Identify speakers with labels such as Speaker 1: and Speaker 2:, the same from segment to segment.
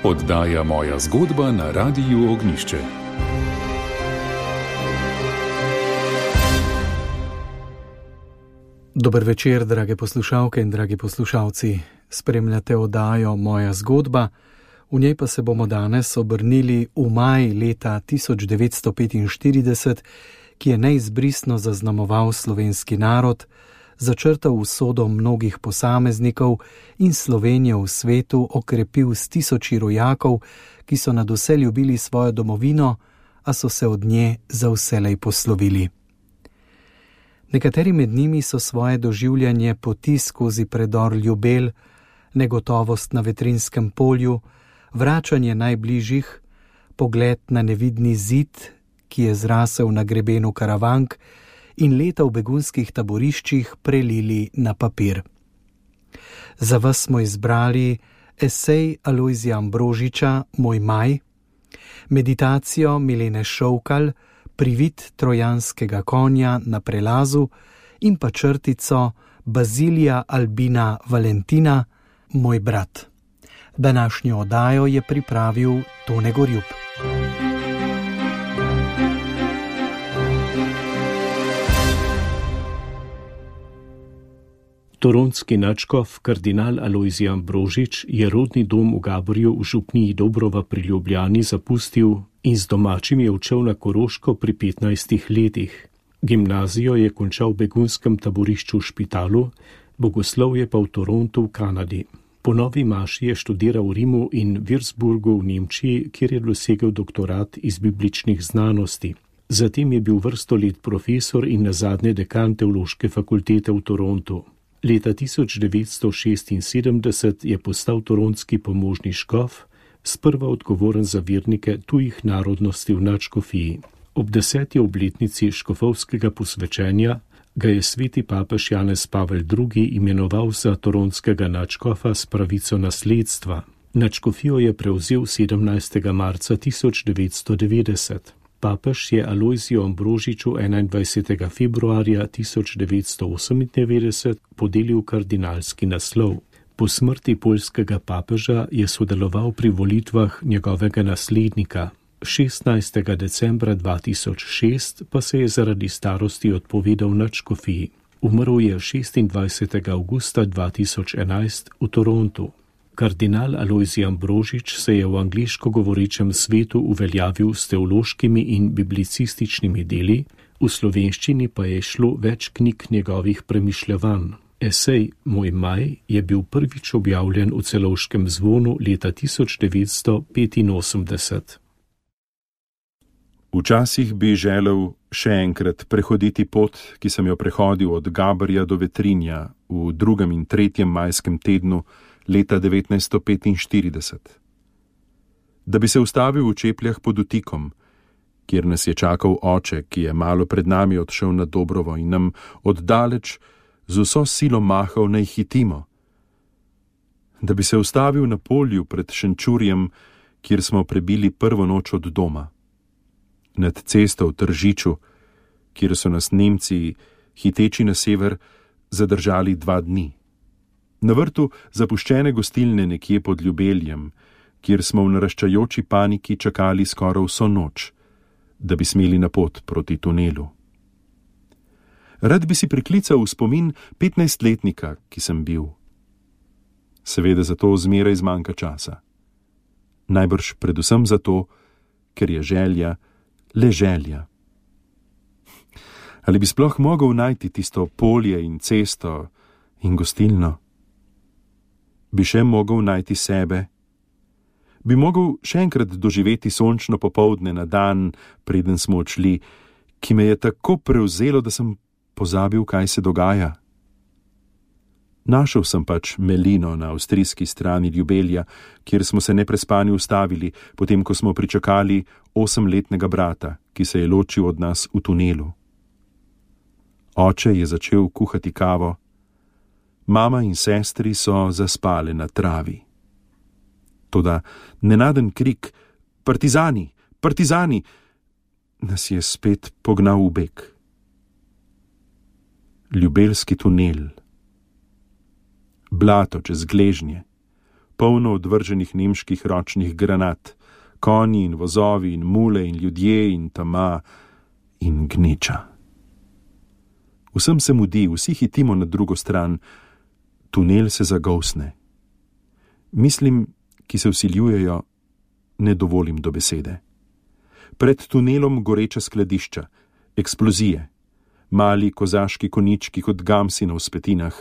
Speaker 1: Oddaja Moja zgodba na Radiu Ognjišče.
Speaker 2: Dober večer, drage poslušalke in dragi poslušalci. Spremljate oddajo Moja zgodba, v njej pa se bomo danes obrnili v maj leta 1945, ki je neizbrisno zaznamoval slovenski narod, začrtal usodo mnogih posameznikov in Slovenijo v svetu okrepil s tisoči rojakov, ki so nadvse ljubili svojo domovino, a so se od nje za vselej poslovili. Nekateri med njimi so svoje doživljanje poti skozi predor Ljubelj, negotovost na Vetrinskem polju, vračanje najbližjih, pogled na nevidni zid, ki je zrasel na grebenu Karavank, in leta v begunskih taboriščih prelili na papir. Za vas smo izbrali esej Alojzija Ambrožiča Moj maj, meditacijo Milene Šovkal Privid trojanskega konja na prelazu in pa črtico Bazilija Albina Valentina Moj brat. Današnjo oddajo je pripravil Tone Gorjup.
Speaker 3: Toronski nadškof kardinal Alojzij Ambrožič je rodni dom v Gaborju v župniji Dobrova pri Ljubljani zapustil in z domačim je odšel na Koroško pri 15 letih. Gimnazijo je končal v begunskem taborišču v Špitalu, bogoslovje pa v Torontu v Kanadi. Po novi maši je študiral v Rimu in Würzburgu v Nemčiji, kjer je dosegel doktorat iz bibličnih znanosti. Zatem je bil vrsto let profesor in nazadnje dekan teološke fakultete v Torontu. Leta 1976 je postal toronski pomožni škof, sprva odgovoren za vernike tujih narodnosti v nadškofiji. Ob 10. obletnici škofovskega posvečenja ga je sveti papež Janez Pavel II. Imenoval za toronskega nadškofa s pravico nasledstva. Nadškofijo je prevzel 17. marca 1990. Papež je Alojziju Ambrožiču 21. februarja 1998 podelil kardinalski naslov. Po smrti poljskega papeža je sodeloval pri volitvah njegovega naslednika. 16. decembra 2006 pa se je zaradi starosti odpovedal nadškofiji. Umrl je 26. avgusta 2011 v Torontu. Kardinal Alojzij Ambrožič se je v angliško govorečem svetu uveljavil s teološkimi in biblicističnimi deli, v slovenščini pa je šlo več knjig njegovih premišljevanj. Esej Moj maj je bil prvič objavljen v Celovškem zvonu leta 1985.
Speaker 4: Včasih bi želel še enkrat prehoditi pot, ki sem jo prehodil od Gaborja do Vetrinja v 2. in 3. majskem tednu leta 1945. Da bi se ustavil v Čepljah pod Utikom, kjer nas je čakal oče, ki je malo pred nami odšel na Dobrovo in nam oddaleč z vso silo mahal naj hitimo. Da bi se ustavil na polju pred Šenčurjem, kjer smo prebili prvo noč od doma. Nad cesto v Tržiču, kjer so nas Nemci, hiteči na sever, zadržali 2 dni. Na vrtu zapuščene gostilne nekje pod Ljubeljem, kjer smo v naraščajoči paniki čakali skoraj vso noč, da bi smeli na pot proti tunelu. Rad bi si priklical v spomin 15-letnika, ki sem bil. Seveda zato zmeraj zmanjka časa. Najbrž predvsem zato, ker je želja le želja. Ali bi sploh mogel najti tisto polje in cesto in gostilno? Bi še mogel najti sebe? Bi mogel še enkrat doživeti sončno popoldne na dan, preden smo odšli, ki me je tako prevzelo, da sem pozabil, kaj se dogaja? Našel sem pač Melino na avstrijski strani Ljubelja, kjer smo se neprespani ustavili, potem ko smo pričakali 8-letnega brata, ki se je ločil od nas v tunelu. Oče je začel kuhati kavo, mama in sestri so zaspale na travi. Toda nenaden krik, partizani, partizani, nas je spet pognal v beg. Ljubelski tunel. Blato čez gležnje, polno odvrženih nemških ročnih granat, konji in vozovi in mule in ljudje in tama in gneča. Vsem se mudi, vsi hitimo na drugo stran, tunel se zagolsne. Mislim, ki se vsiljujejo, ne dovolim do besede. Pred tunelom goreča skladišča, eksplozije, mali kozaški konički kot gamsi na vzpetinah,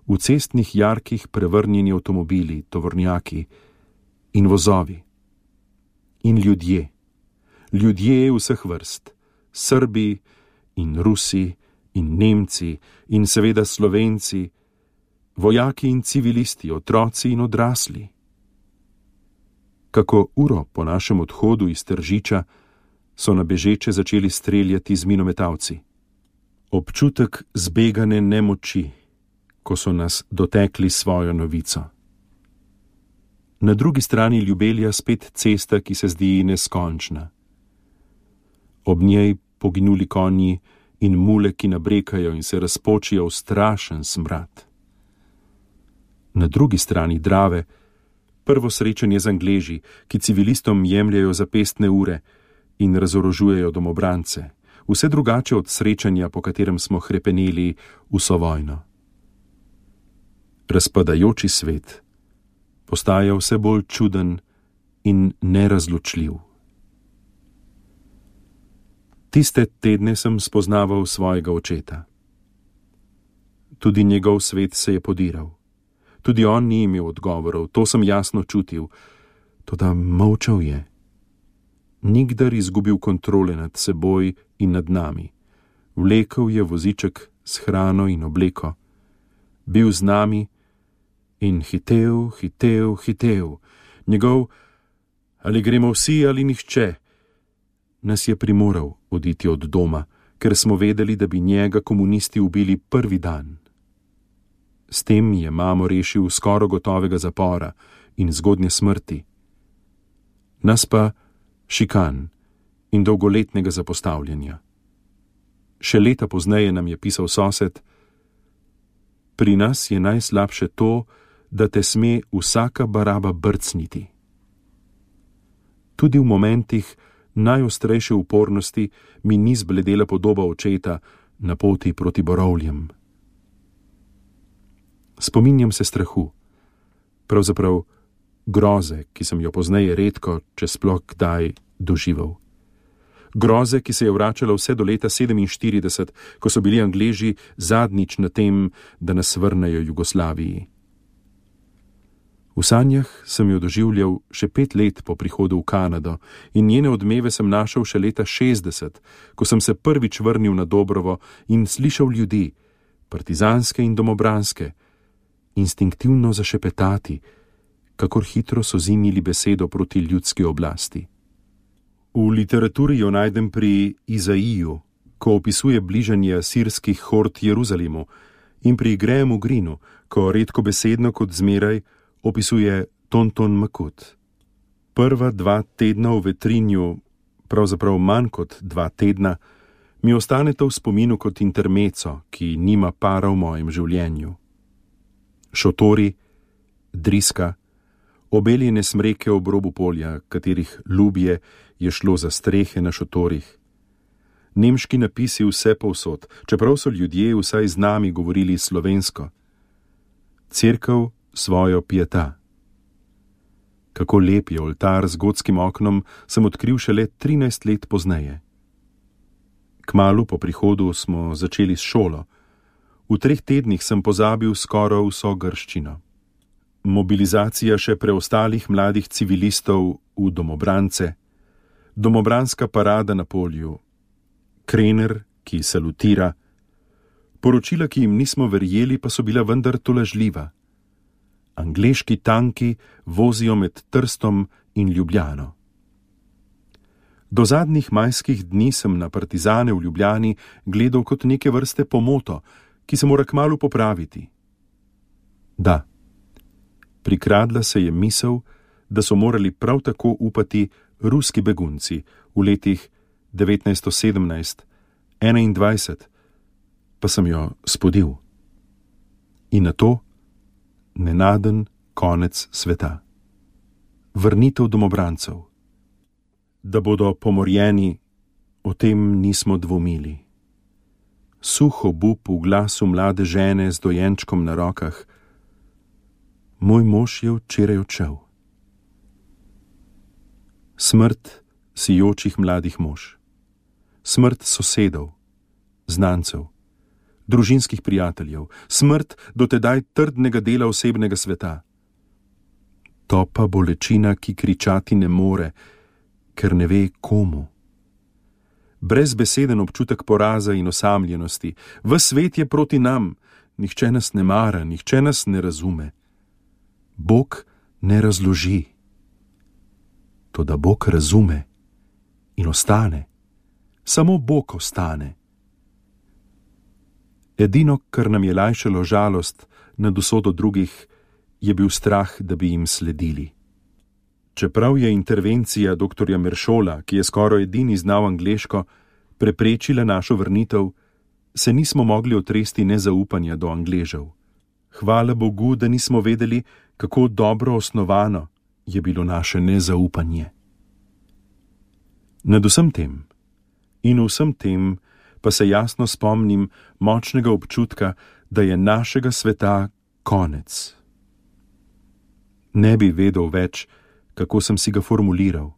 Speaker 4: v cestnih jarkih prevrnjeni avtomobili, tovornjaki in vozovi. In ljudje, ljudje vseh vrst, Srbi in Rusi in Nemci in seveda Slovenci, vojaki in civilisti, otroci in odrasli. Kako uro po našem odhodu iz Tržiča so na bežeče začeli streljati z minometalci. Občutek zbegane nemoči, ko so nas dotekli svojo novico. Na drugi strani Ljubelja spet cesta, ki se zdi neskončna. Ob njej poginuli konji in mule, ki nabrekajo in se razpočijo v strašen smrad. Na drugi strani Drave prvo srečanje z Angleži, ki civilistom jemljajo zapestne ure in razorožujejo domobrance, vse drugače od srečanja, po katerem smo hrepeneli vso vojno. Razpadajoči svet postaja vse bolj čuden in nerazločljiv. Tiste tedne sem spoznaval svojega očeta. Tudi njegov svet se je podiral. Tudi on ni imel odgovorov, to sem jasno čutil, toda molčal je. Nikdar izgubil kontrole nad seboj in nad nami. Vlekel je voziček s hrano in obleko. Bil z nami in hitel. Njegov ali gremo vsi ali nihče nas je primoral oditi od doma, ker smo vedeli, da bi njega komunisti ubili prvi dan. S tem je mamo rešil skoro gotovega zapora in zgodnje smrti. Nas pa šikan in dolgoletnega zapostavljanja. Še leta pozneje nam je pisal sosed: pri nas je najslabše to, da te sme vsaka baraba brcniti. Tudi v momentih najostrejše upornosti mi ni zbledela podoba očeta na poti proti borovljem. Spominjam se strahu, pravzaprav groze, ki sem jo pozneje redko, če sploh kdaj, doživel. Groze, ki se je vračala vse do leta 1947, ko so bili Angleži zadnjič na tem, da nas vrnejo Jugoslaviji. V sanjah sem jo doživljal še 5 let po prihodu v Kanado in njene odmeve sem našel še leta 60, ko sem se prvič vrnil na Dobrovo in slišal ljudi, partizanske in domobranske, instinktivno zašepetati, kakor hitro so zimili besedo proti ljudski oblasti. V literaturi jo najdem pri Izaiju, ko opisuje bližanje asirskih hord Jeruzalemu, in pri Grahamu Greenu, ko redko besedno kot zmeraj opisuje Tonton Makut. Prva 2 tedna v Vetrinju, pravzaprav manj kot 2 tedna, mi ostaneta v spominu kot intermeco, ki nima para v mojem življenju. Šotori, driska, obeljene smreke ob robu polja, katerih ljubje je šlo za strehe na šotorih. Nemški napisi vse povsod, čeprav so ljudje vsaj z nami govorili slovensko. Cerkev svojo pieta. Kako lep je oltar z gotskim oknom, sem odkril šele 13 let pozneje. Kmalu po prihodu smo začeli s šolo. V 3 tednih sem pozabil skoraj vso grščino. Mobilizacija še preostalih mladih civilistov v domobrance, domobranska parada na polju, Krener, ki salutira, poročila, ki jim nismo verjeli, pa so bila vendar tolažljiva. Angleški tanki vozijo med Trstom in Ljubljano. Do zadnjih majskih dni sem na partizane v Ljubljani gledal kot neke vrste pomoto, ki se mora kmalu popraviti. Da, prikradla se je misel, da so morali prav tako upati ruski begunci v letih 1917, 1921, pa sem jo spodil. In na to nenaden, konec sveta. Vrnitev domobrancev. Da bodo pomorjeni, o tem nismo dvomili. Suh obup v glasu mlade žene z dojenčkom na rokah. Moj mož je včeraj odšel. Smrt sijočih mladih mož. Smrt sosedov, znancev, družinskih prijateljev, smrt dotedaj trdnega dela osebnega sveta. Topa bolečina, ki kričati ne more, ker ne ve komu. Brezbeseden občutek poraza in osamljenosti. Ves svet je proti nam, nihče nas ne mara, nihče nas ne razume. Bog ne razloži. Toda Bog razume in ostane. Samo Bog ostane. Edino, kar nam je lajšalo žalost nad usodo drugih, je bil strah, da bi jim sledili. Čeprav je intervencija dr. Meršola, ki je skoraj edini znal angleško, preprečila našo vrnitev, se nismo mogli otresti nezaupanja do Angležev. Hvala Bogu, da nismo vedeli, kako dobro osnovano je bilo naše nezaupanje. Nad vsem tem in vsem tem pa se jasno spomnim močnega občutka, da je našega sveta konec. Ne bi vedel več, kako sem si ga formuliral.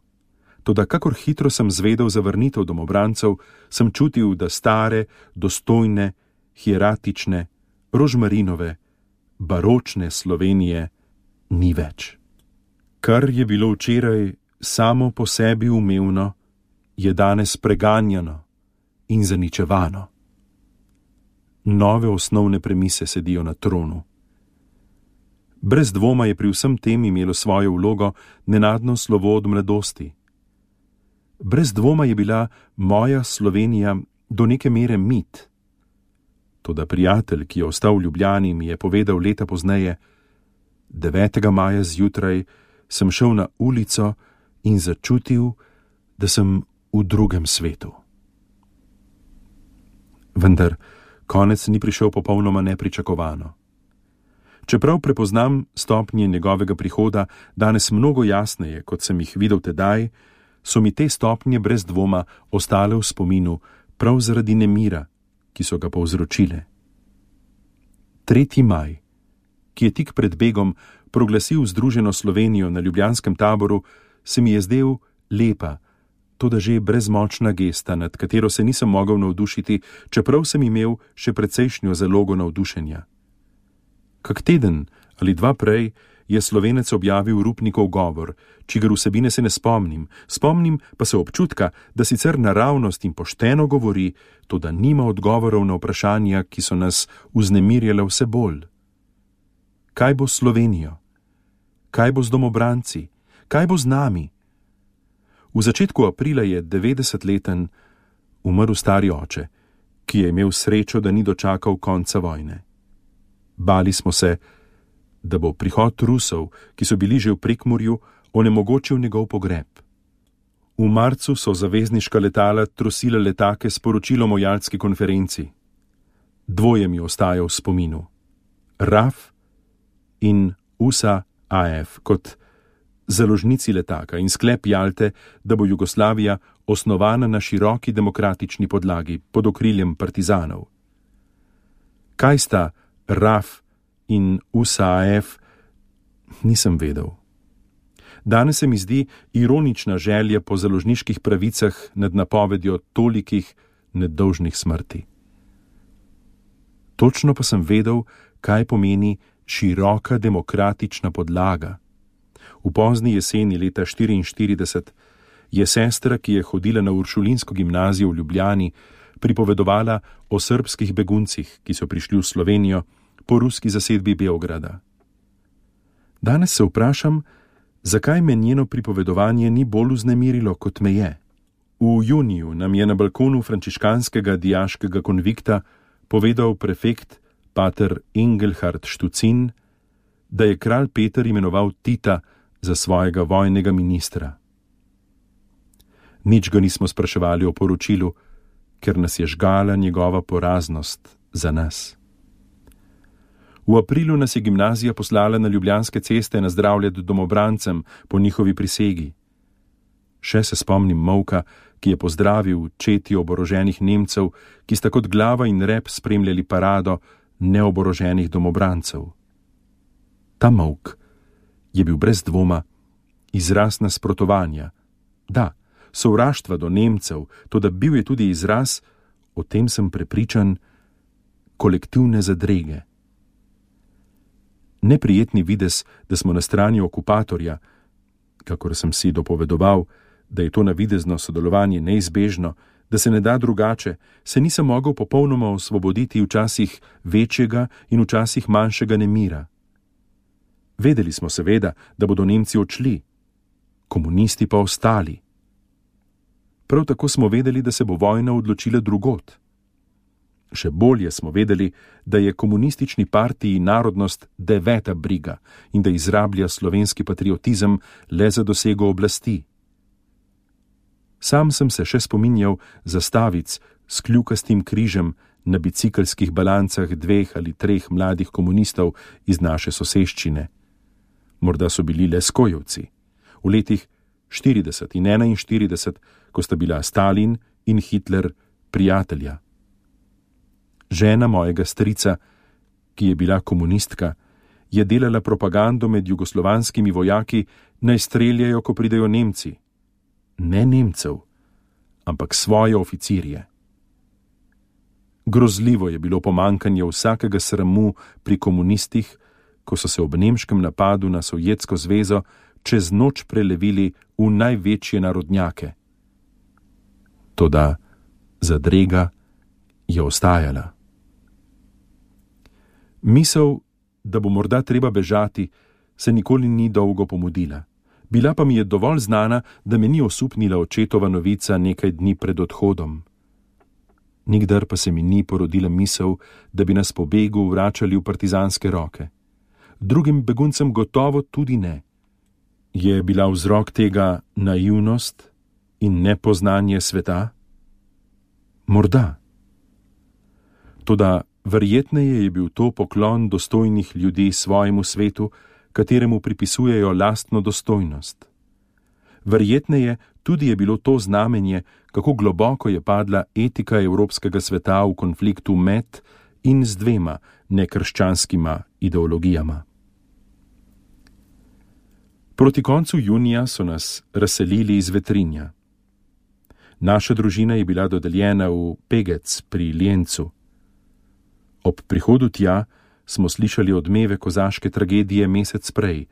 Speaker 4: Toda kakor hitro sem zvedel za vrnitev domobrancev, sem čutil, da stare, dostojne, hieratične, rožmarinove, baročne Slovenije ni več. Kar je bilo včeraj samo po sebi umevno, je danes preganjano in zaničevano. Nove osnovne premise sedijo na tronu. Brez dvoma je pri vsem tem imelo svojo vlogo nenadno slovo od mladosti. Brez dvoma je bila moja Slovenija do neke mere mit. Toda prijatelj, ki je ostal v Ljubljani, mi je povedal leta pozneje: 9. maja zjutraj sem šel na ulico in začutil, da sem v drugem svetu. Vendar konec ni prišel popolnoma nepričakovano. Čeprav prepoznam stopnje njegovega prihoda danes mnogo jasneje, kot sem jih videl tedaj, so mi te stopnje brez dvoma ostale v spominu prav zaradi nemira, ki so ga povzročile. 3. maj, ki je tik pred begom proglasil združeno Slovenijo na ljubljanskem taboru, se mi je zdel lepa, toda že brezmočna gesta, nad katero se nisem mogel navdušiti, čeprav sem imel še precejšnjo zalogo navdušenja. Kak teden ali dva prej je Slovenec objavil Rupnikov govor, čigar vsebine se ne spomnim, spomnim pa se občutka, da sicer naravnost in pošteno govori, toda nima odgovorov na vprašanja, ki so nas vznemirjale vse bolj. Kaj bo s Slovenijo? Kaj bo z domobranci? Kaj bo z nami? V začetku aprila je 90-leten umrl stari oče, ki je imel srečo, da ni dočakal konca vojne. Bali smo se, da bo prihod Rusov, ki so bili že v Prekmurju, onemogočil njegov pogreb. V marcu so zavezniška letala trosila letake s poročilom o Jaltski konferenci. Dvoje mi ostaja v spominu. RAF in USA-AF kot založnici letaka in sklep Jalte, da bo Jugoslavija osnovana na široki demokratični podlagi pod okriljem partizanov. Kaj sta RAF in USA-AF, nisem vedel. Danes se mi zdi ironična želja po založniških pravicah nad napovedjo tolikih nedolžnih smrti. Točno pa sem vedel, kaj pomeni široka demokratična podlaga. V pozni jeseni leta 1944 je sestra, ki je hodila na Uršulinsko gimnazijo v Ljubljani, pripovedovala o srbskih beguncih, ki so prišli v Slovenijo po ruski zasedbi Beograda. Danes se vprašam, zakaj me njeno pripovedovanje ni bolj vznemirilo, kot me je. V juniju nam je na balkonu frančiškanskega dijaškega konvikta povedal prefekt pater Engelhard Štucin, da je kralj Peter imenoval Tita za svojega vojnega ministra. Nič ga nismo spraševali o poročilu, ker nas je žgala njegova poraznost za nas. V aprilu nas je gimnazija poslala na Ljubljanske ceste nazdravljati domobrancem po njihovi prisegi. Še se spomnim molka, ki je pozdravil četi oboroženih Nemcev, ki sta kot glava in rep spremljali parado neoboroženih domobrancev. Ta molk je bil brez dvoma izraz nasprotovanja, da, sovraštva do Nemcev, toda bil je tudi izraz, o tem sem prepričan, kolektivne zadrege. Neprijetni videz, da smo na strani okupatorja, kakor sem si dopovedoval, da je to navidezno sodelovanje neizbežno, da se ne da drugače, se nisem mogel popolnoma osvoboditi včasih večjega in včasih manjšega nemira. Vedeli smo seveda, da bodo Nemci odšli, komunisti pa ostali. Prav tako smo vedeli, da se bo vojna odločila drugod. Še bolje smo vedeli, da je komunistični partiji narodnost 9. briga in da izrablja slovenski patriotizem le za dosego oblasti. Sam sem se še spominjal zastavic s kljukastim križem na bicikelskih balancah 2 ali 3 mladih komunistov iz naše soseščine. Morda so bili le skojevci. V letih 40 in 41, ko sta bila Stalin in Hitler prijatelja. Žena mojega strica, ki je bila komunistka, je delala propagando med jugoslovanskimi vojaki, naj streljajo, ko pridejo Nemci. Ne Nemcev, ampak svoje oficirje. Grozljivo je bilo pomankanje vsakega sramu pri komunistih, ko so se ob nemškem napadu na Sovjetsko zvezo čez noč prelevili v največje narodnjake. Toda zadrega je ostajala. Misel, da bo morda treba bežati, se nikoli ni dolgo pomudila. Bila pa mi je dovolj znana, da me ni osupnila očetova novica nekaj dni pred odhodom. Nikdar pa se mi ni porodila misel, da bi nas po begu vračali v partizanske roke. Drugim beguncem gotovo tudi ne. Je bila vzrok tega naivnost in nepoznanje sveta? Morda. Toda verjetneje je bil to poklon dostojnih ljudi svojemu svetu, kateremu pripisujejo lastno dostojnost. Verjetneje tudi je bilo to znamenje, kako globoko je padla etika evropskega sveta v konfliktu med in z 2 nekrščanskima ideologijama. Proti koncu junija so nas razselili iz Vetrinja. Naša družina je bila dodeljena v Pegec pri Ljencu. Ob prihodu tja smo slišali odmeve kozaške tragedije mesec prej,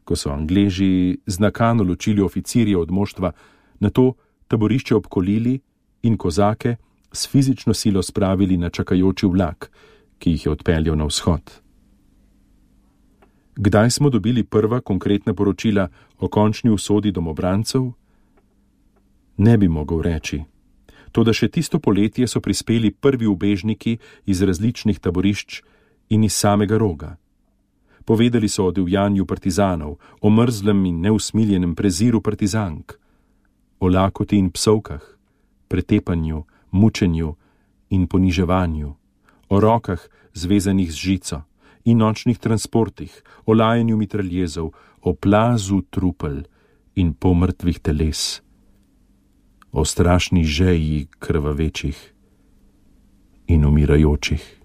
Speaker 4: ko so Angleži z nakano ločili oficirje od moštva, nato taborišče obkolili in kozake s fizično silo spravili na čakajoči vlak, ki jih je odpeljal na vzhod. Kdaj smo dobili prva konkretna poročila o končni usodi domobrancev? Ne bi mogel reči. Toda še tisto poletje so prispeli prvi ubežniki iz različnih taborišč in iz samega Roga. Povedali so o divjanju partizanov, o mrzlem in neusmiljenem preziru partizank, o lakoti in psovkah, pretepanju, mučenju in poniževanju, o rokah zvezanih z žico in nočnih transportih, o lajanju mitraljezov, o plazu trupel in polmrtvih teles, o strašni žeji krvavečih in umirajočih.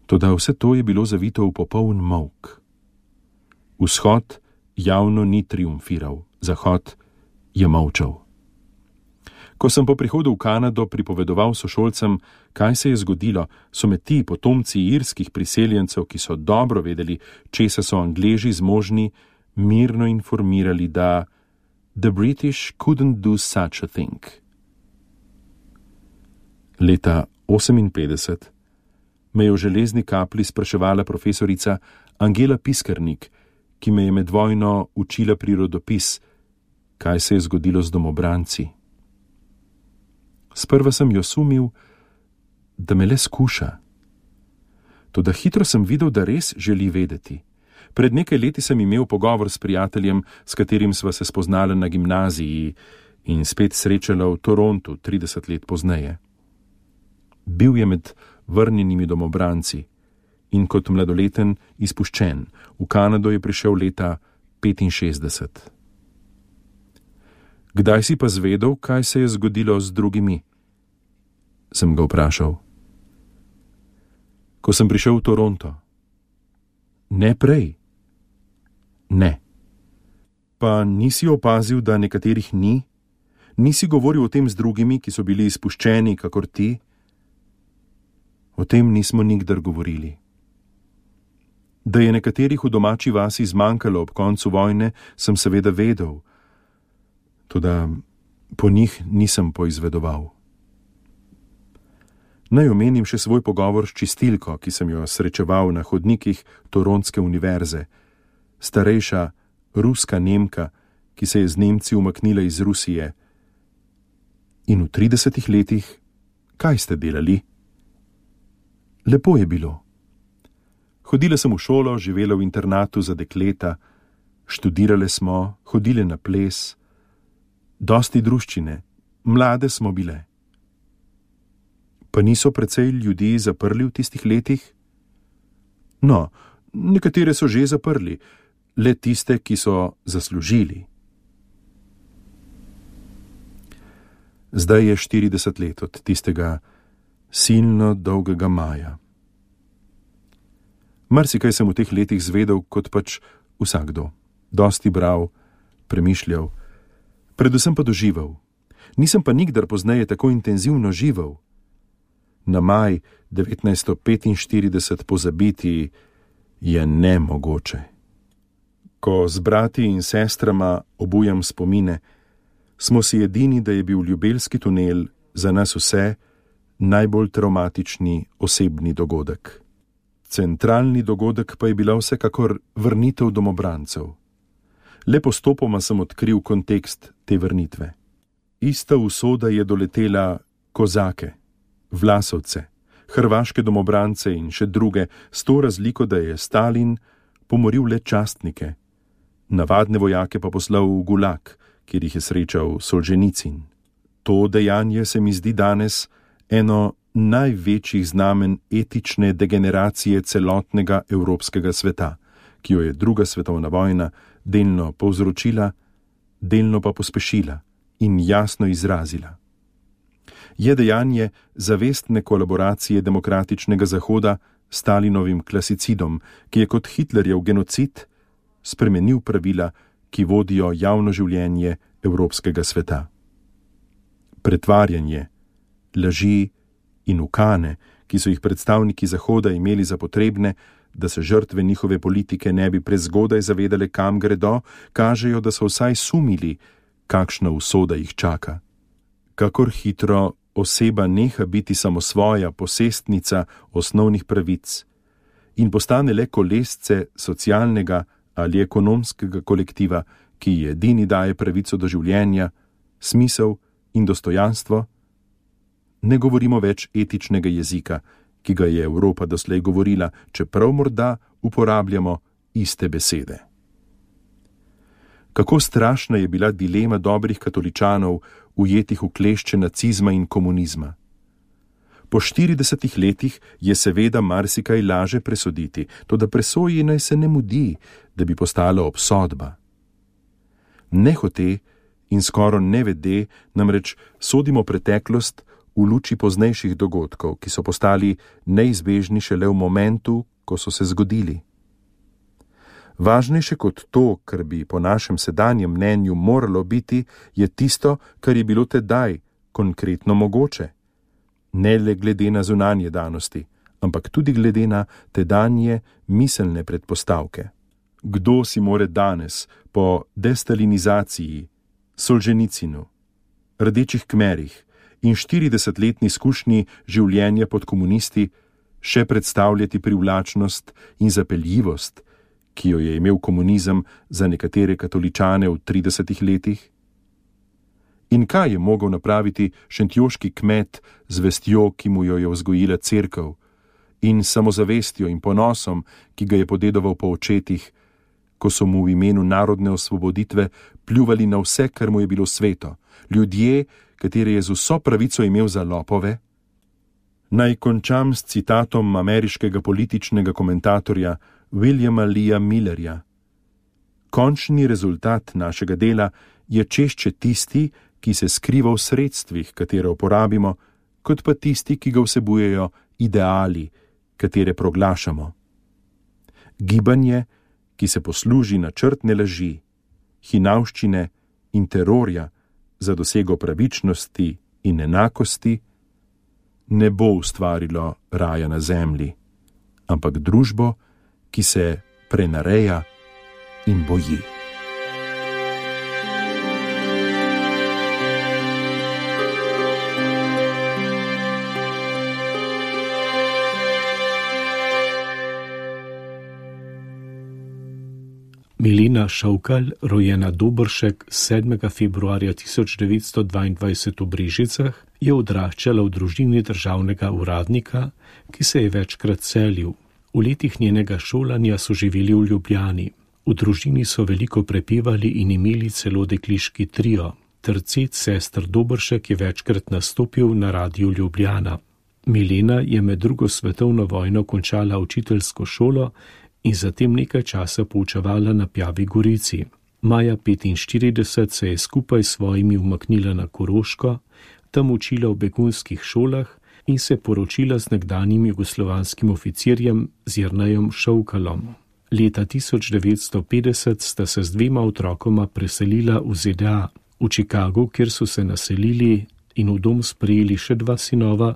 Speaker 4: Toda vse to je bilo zavito v popoln molk. Vzhod javno ni triumfiral, Zahod je molčal. Ko sem po prihodu v Kanado pripovedoval sošolcem, kaj se je zgodilo, so me ti potomci irskih priseljencev, ki so dobro vedeli, česa so Angleži zmožni, mirno informirali, da the British couldn't do such a thing. Leta 1958 me je v Železni kapli spraševala profesorica Angela Piskernik, ki me je med vojno učila prirodopis, kaj se je zgodilo z domobranci. Sprva sem jo sumil, da me le skuša. Toda hitro sem videl, da res želi vedeti. Pred nekaj leti sem imel pogovor s prijateljem, s katerim sva se spoznala na gimnaziji in spet srečala v Torontu 30 let pozneje. Bil je med vrnjenimi domobranci in kot mladoleten izpuščen. V Kanado je prišel leta 65. Kdaj si pa zvedel, kaj se je zgodilo z drugimi? Sem ga vprašal. Ko sem prišel v Toronto. Ne prej. Ne. Pa nisi opazil, da nekaterih ni? Nisi govoril o tem z drugimi, ki so bili izpuščeni, kakor ti? O tem nismo nikdar govorili. Da je nekaterih v domači vasi zmanjkalo ob koncu vojne, sem seveda vedel, toda po njih nisem poizvedoval. Naj omenim še svoj pogovor s čistilko, ki sem jo srečeval na hodnikih Torontske univerze, starejša ruska Nemka, ki se je z Nemci umaknila iz Rusije. In v 30 letih, kaj ste delali? Lepo je bilo. Hodile sem v šolo, živela v internatu za dekleta, študirale smo, hodile na ples, dosti druščine, mlade smo bile. Pa niso precej ljudi zaprli v tistih letih? No, nekatere so že zaprli, le tiste, ki so zaslužili. Zdaj je 40 let od tistega silno dolgega maja. Marsikaj sem v teh letih zvedel, kot pač vsakdo. Dosti bral, premišljal, predvsem pa doživel. Nisem pa nikdar pozneje tako intenzivno živel. Na maj 1945 pozabiti je nemogoče. Ko z brati in sestrama obujam spomine, smo si edini, da je bil Ljubelski tunel za nas vse najbolj travmatični osebni dogodek. Centralni dogodek pa je bila vsekakor vrnitev domobrancev. Le postopoma sem odkril kontekst te vrnitve. Ista usoda je doletela kozake, Vlasovce, hrvaške domobrance in še druge, s to razliko, da je Stalin pomoril le častnike, navadne vojake pa poslal v Gulag, kjer jih je srečal Solženicin. To dejanje se mi zdi danes eno največjih znamen etične degeneracije celotnega evropskega sveta, ki jo je druga svetovna vojna delno povzročila, delno pa pospešila in jasno izrazila. Je dejanje zavestne kolaboracije demokratičnega Zahoda s Stalinovim klasicidom, ki je kot Hitlerjev genocid spremenil pravila, ki vodijo javno življenje evropskega sveta. Pretvarjanje, laži in ukane, ki so jih predstavniki Zahoda imeli za potrebne, da se žrtve njihove politike ne bi prezgodaj zavedale, kam gredo, kažejo, da so vsaj sumili, kakšna usoda jih čaka. Kakor hitro oseba neha biti samosvoja posestnica osnovnih pravic in postane le kolesce socialnega ali ekonomskega kolektiva, ki edini daje pravico do življenja, smisel in dostojanstvo, ne govorimo več etičnega jezika, ki ga je Evropa doslej govorila, čeprav morda uporabljamo iste besede. Kako strašna je bila dilema dobrih katoličanov, ujetih v klešče nacizma in komunizma. Po 40 letih je seveda marsikaj laže presoditi, toda presoji naj se ne mudi, da bi postala obsodba. Nehote in skoro nevede namreč sodimo preteklost v luči poznejših dogodkov, ki so postali neizbežni šele v momentu, ko so se zgodili. Važnejše kot to, kar bi po našem sedanjem mnenju moralo biti, je tisto, kar je bilo tedaj konkretno mogoče. Ne le glede na zunanje danosti, ampak tudi glede na tedanje miselne predpostavke. Kdo si more danes, po destalinizaciji, Solženicinu, Rdečih kmerih in 40-letni izkušnji življenja pod komunisti še predstavljati privlačnost in zapeljivost, ki jo je imel komunizem za nekatere katoličane v 30 letih? In kaj je mogel napraviti šentjoški kmet z vestjo, ki mu jo je vzgojila cerkev, in samozavestjo in ponosom, ki ga je podedoval po očetih, ko so mu v imenu narodne osvoboditve pljuvali na vse, kar mu je bilo sveto, ljudje, katere je z vso pravico imel za lopove? Naj končam s citatom ameriškega političnega komentatorja Williama Leea Millerja. Končni rezultat našega dela je češče tisti, ki se skriva v sredstvih, katere uporabimo, kot pa tisti, ki ga vsebujejo ideali, katere proglašamo. Gibanje, ki se posluži načrtne laži, hinavščine in terorja za dosego pravičnosti in enakosti, ne bo ustvarilo raja na zemlji, ampak družbo, ki se prenareja in boji.
Speaker 3: Milena Šovkal, rojena Dobršek 7. februarja 1922 v Brežicah, je odraščala v družini državnega uradnika, ki se je večkrat selil. V letih njenega šolanja so živeli v Ljubljani. V družini so veliko prepevali in imeli celo dekliški trio. Tercet sester Dobršek je večkrat nastopil na Radiu Ljubljana. Milena je med drugo svetovno vojno končala učiteljsko šolo in zatem nekaj časa poučevala na Pjavi Gorici. Maja 1945 se je skupaj s svojimi umaknila na Koroško, tam učila v begunskih šolah in se poročila z nekdanjim jugoslovanskim oficirjem Jernejem Šovkalom. Leta 1950 sta se z 2 otrokoma preselila v ZDA. V Chicagu, kjer so se naselili in v dom sprejeli še 2 sinova,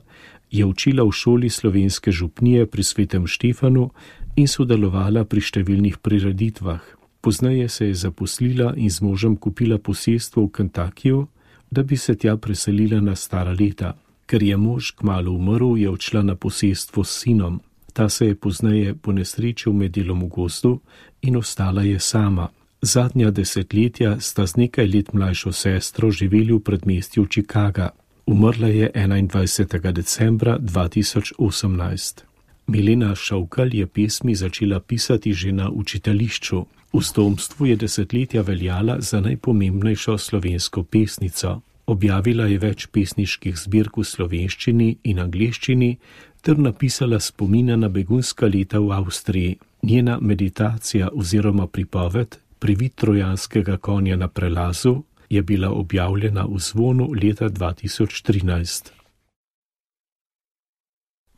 Speaker 3: je učila v šoli slovenske župnije pri Svetem Štefanu in sodelovala pri številnih prireditvah. Pozneje se je zaposlila in z možem kupila posestvo v Kentuckyju, da bi se tja preselila na stara leta. Ker je mož kmalu umrl, je odšla na posestvo s sinom. Ta se je pozneje ponesrečil med delom v gozdu in ostala je sama. Zadnja desetletja sta z nekaj let mlajšo sestro živeli v predmestju Chicaga. Umrla je 21. decembra 2018. Milena Šovkal je pesmi začela pisati že na učiteljišču. V Stomstvu je desetletja veljala za najpomembnejšo slovensko pesnico. Objavila je več pesniških zbirk v slovenščini in angleščini ter napisala spomine na begunska leta v Avstriji. Njena meditacija oziroma pripoved Privid trojanskega konja na prelazu je bila objavljena v Zvonu leta 2013.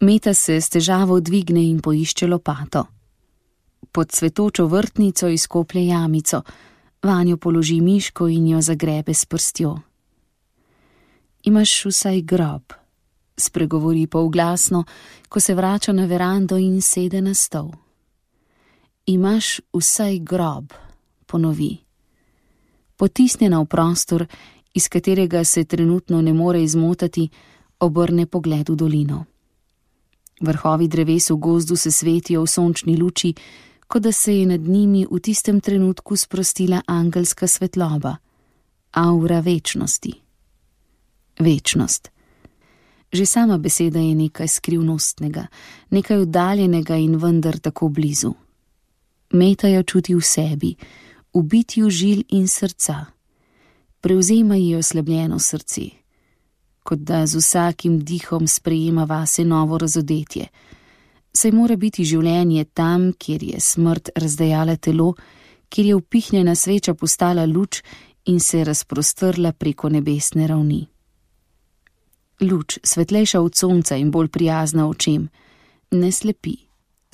Speaker 5: Meta se s težavo dvigne in poišče lopato. Pod cvetočo vrtnico izkoplje jamico, vanjo položi miško in jo zagrebe s prstjo. Imaš vsaj grob, spregovori polglasno, ko se vrača na verando in sede na stol. Imaš vsaj grob, ponovi. Potisnjena v prostor, iz katerega se trenutno ne more izmotati, obrne pogled v dolino. Vrhovi dreves v gozdu se svetijo v sončni luči, kot da se je nad njimi v tistem trenutku sprostila angelska svetloba, aura večnosti. Večnost. Že sama beseda je nekaj skrivnostnega, nekaj oddaljenega in vendar tako blizu. Meta jo čuti v sebi, v bitju žil in srca. Prevzema ji oslabljeno srce, kot da z vsakim dihom sprejema vase novo razodetje. Saj mora biti življenje tam, kjer je smrt razdejala telo, kjer je upihnjena sveča postala luč in se razprostrla preko nebesne ravni. Luč, svetlejša od sonca in bolj prijazna očem, ne slepi,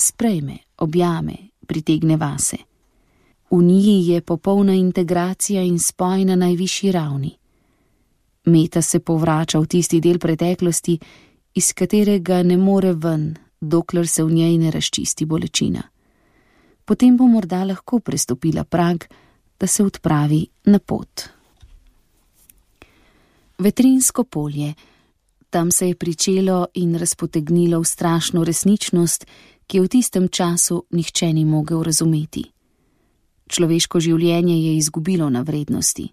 Speaker 5: sprejme, objame, pritegne vase. V njiji je popolna integracija in spoj na najvišji ravni. Meta se povrača v tisti del preteklosti, iz katerega ne more ven, dokler se v njej ne razčisti bolečina. Potem bo morda lahko prestopila prag, da se odpravi na pot. Vetrinsko polje. Tam se je pričelo in razpotegnilo v strašno resničnost, ki v tistem času nihče ni mogel razumeti. Človeško življenje je izgubilo na vrednosti.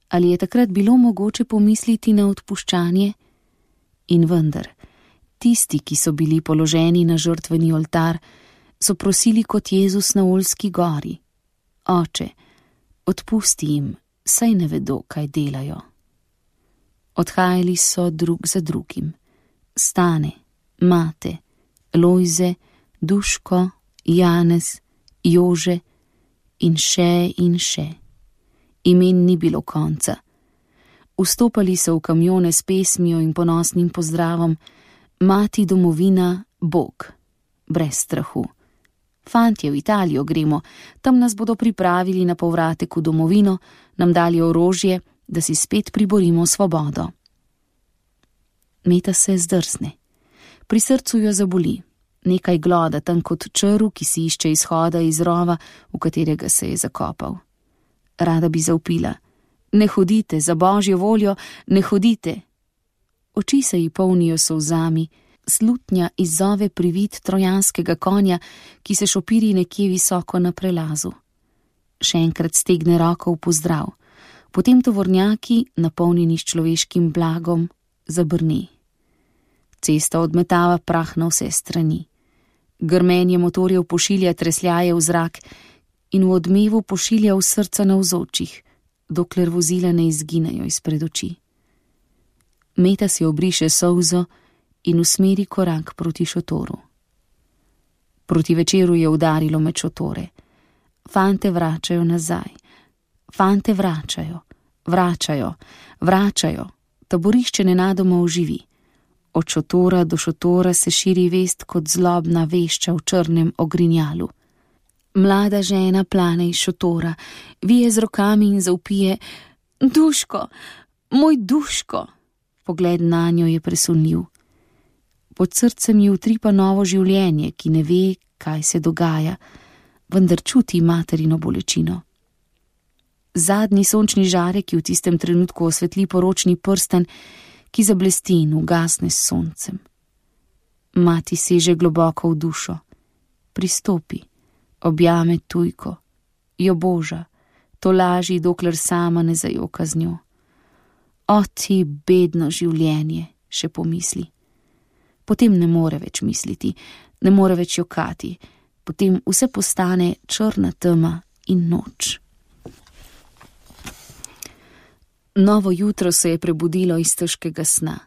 Speaker 5: Ali je takrat bilo mogoče pomisliti na odpuščanje? In vendar, tisti, ki so bili položeni na žrtveni oltar, so prosili kot Jezus na Oljski gori: Oče, odpusti jim, saj ne vedo, kaj delajo. Odhajali so drug za drugim, Stane, Mate, Lojze, Duško, Janez, Jože in še. Imen ni bilo konca. Vstopali so v kamione s pesmijo in ponosnim pozdravom: Mati domovina, Bog, brez strahu. Fantje, v Italijo gremo, tam nas bodo pripravili na povratek v domovino, nam dali orožje, da si spet priborimo svobodo. Meta se zdrsne. Pri srcu jo zaboli. Nekaj gloda tam kot črv, ki si išče izhoda iz rova, v katerega se je zakopal. Rada bi zavpila: ne hodite, za božjo voljo, ne hodite. Oči se ji polnijo solzami, slutnja izzove privid trojanskega konja, ki se šopiri nekje visoko na prelazu. Še enkrat stegne roko v pozdrav, potem tovornjaki, napolnjeni s človeškim blagom, zabrni. Cesta odmetava prah na vse strani. Grmenje motorjev pošilja tresljaje v zrak in v odmevu pošilja v srca navzočih, dokler vozila ne izginejo izpred oči. Meta si obriše solzo in usmeri korak proti šotoru. Proti večeru je udarilo med šotore. Fante vračajo nazaj. Fante vračajo. Taborišče nenadoma oživi. Od šotora do šotora se širi vest kot zlobna vešča v črnem ogrinjalu. Mlada žena plane iz šotora, vije z rokami in zavpije: Duško, moj Duško! Pogled nanjo je presunljiv. Pod srcem ji utripa novo življenje, ki ne ve, kaj se dogaja, vendar čuti materino bolečino. Zadnji sončni žarek, ki v tistem trenutku osvetli poročni prsten, ki zablesti in ugasne s soncem. Mati seže globoko v dušo, pristopi, objame tujko, jo boža, to laži, dokler sama ne zajoka z njo. O ti bedno življenje, še pomisli. Potem ne more več misliti, ne more več jokati, potem vse postane črna tema in noč. Novo jutro se je prebudilo iz težkega sna.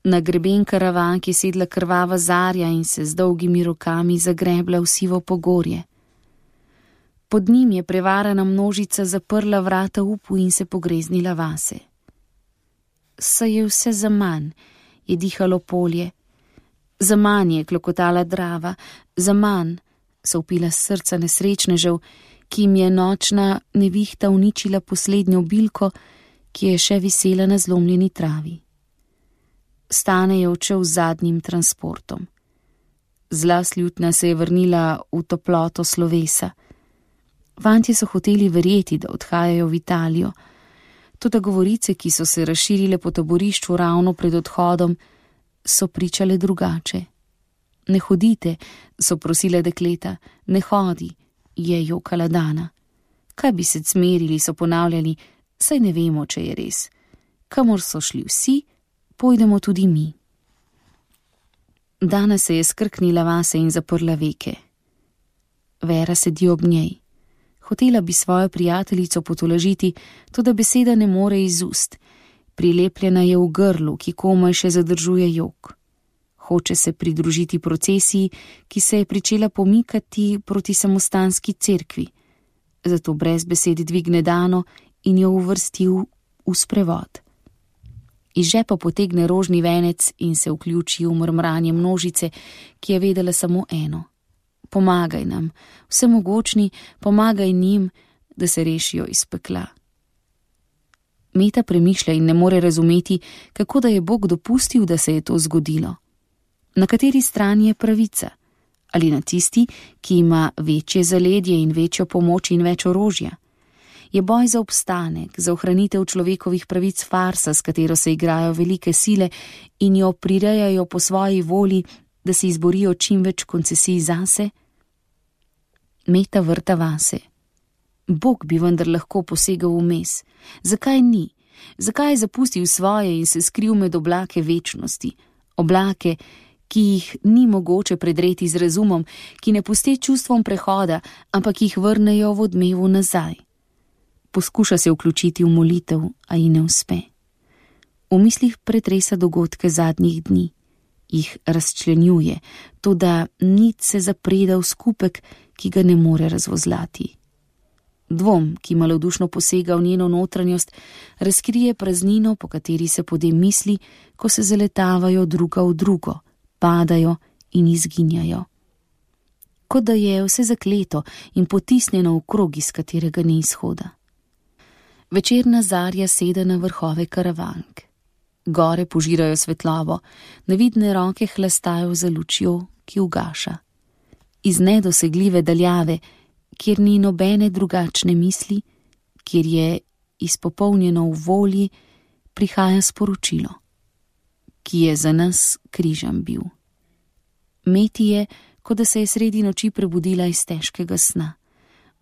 Speaker 5: Na greben karavanki je sedla krvava zarja in se z dolgimi rokami zagrebla v sivo pogorje. Pod njim je prevarana množica zaprla vrata upu in se pogreznila vase. Saj je vse zaman, je dihalo polje. Zaman je klokotala Drava, zaman, so vpila srca nesrečnežev, ki jim je nočna nevihta uničila poslednjo bilko, ki je še visela na zlomljeni travi. Stane je odšel z zadnjim transportom. Zla slutnja se je vrnila v toploto slovesa. Fantje so hoteli verjeti, da odhajajo v Italijo, toda govorice, ki so se razširile po taborišču ravno pred odhodom, so pričale drugače. Ne hodite, so prosile dekleta, ne hodi, je jokala Dana. Kaj bi se cmerili, so ponavljali, saj ne vemo, če je res. Kamor so šli vsi, pojdemo tudi mi. Dana se je skrknila vase in zaprla veke. Vera sedi ob njej. Hotela bi svojo prijateljico potolažiti, toda beseda ne more iz ust. Prilepljena je v grlu, ki komaj še zadržuje jok. Hoče se pridružiti procesiji, ki se je pričela pomikati proti samostanski cerkvi. Zato brez besed dvigne Dano in jo uvrstil v sprevod. Iz žepa potegne rožni venec in se vključi v mrmranje množice, ki je vedela samo eno. Pomagaj nam, vsemogočni, pomagaj njim, da se rešijo iz pekla. Meta premišlja in ne more razumeti, kako da je Bog dopustil, da se je to zgodilo. Na kateri strani je pravica? Ali na tisti, ki ima večje zaledje in večjo pomoč in več orožja? Je boj za obstanek, za ohranitev človekovih pravic farsa, s katero se igrajo velike sile in jo prirejajo po svoji volji, da si izborijo čim več koncesij zase? Meta vrta vase. Bog bi vendar lahko posegal vmes. Zakaj ni? Zakaj je zapustil svoje in se skril med oblake večnosti? Oblake, ki jih ni mogoče predreti z razumom, ki ne puste čustvom prehoda, ampak jih vrnejo v odmevu nazaj. Poskuša se vključiti v molitev, a ji ne uspe. V mislih pretresa dogodke zadnjih dni. jih razčlenjuje, toda nit se zapreda v skupek, ki ga ne more razvozlati. Dvom, ki malodušno posega v njeno notranjost, razkrije praznino, po kateri se podem misli, ko se zaletavajo druga v drugo, padajo in izginjajo. Kot da je vse zakleto in potisnjeno v krog, iz katerega ni izhoda. Večerna zarja sede na vrhove Karavank. Gore požirajo svetlobo, nevidne roke hlastajo za lučjo, ki ugaša. Iz nedosegljive daljave, kjer ni nobene drugačne misli, kjer je izpopolnjeno v volji, prihaja sporočilo, ki je za nas križem bil. Meti je, kot da se je sredi noči prebudila iz težkega sna.